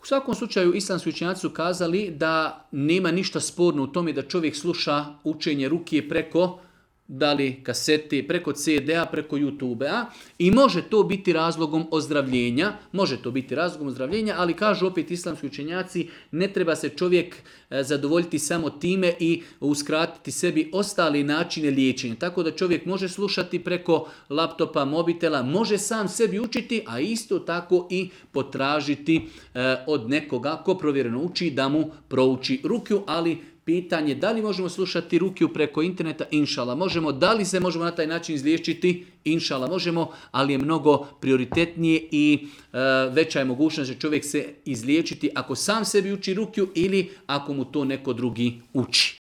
U svakom slučaju islamski učenjaci su kazali da nema ništa sporno u tome da čovjek sluša učenje rukije preko da li kasete, preko CD-a, preko YouTube-a i može to biti razlogom ozdravljenja, ali kažu opet islamski učenjaci, ne treba se čovjek zadovoljiti samo time i uskratiti sebi ostali načine liječenja. Tako da čovjek može slušati preko laptopa, mobitela, može sam sebi učiti, a isto tako i potražiti od nekoga ko provjereno uči da mu prouči rukiju, ali pitanje da li možemo slušati rukiju preko interneta, inšala možemo, da li se možemo na taj način izliječiti, inšala možemo, ali je mnogo prioritetnije i veća je mogućnost da čovjek se izliječiti ako sam sebi uči rukiju ili ako mu to neko drugi uči.